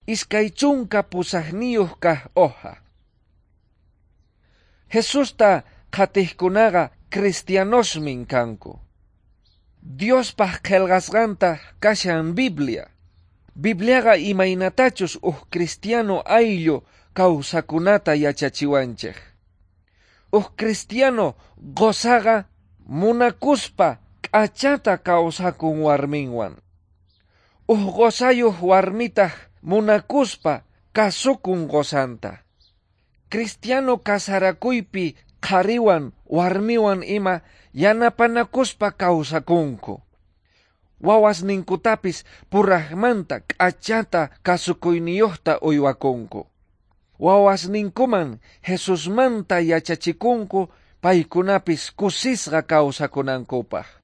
28 kaq hoja. Jesusta qhatiqkunaqa cristianosmin kanku. Diospaq qillqasqanta kashan Biblia. Bibliaqa imaynatachus uj cristiano ayllu kawsakunata yachachiwanchik. Uj cristiano qosaqa munakuspa k'achata kawsakun warminwan. Uj qosayuq warmitaq munakuspa kasukun qosanta. Cristiano kasarakuypi qhariwan warmiwan ima yanapanakuspa kawsakunku. Wawasninkutapis puraqmanta k'achata kasukuyniyuqta uywakunku. Wawasninkuman Jesusmanta yachachikunku paykunapis kusisqa kawsakunankupaq.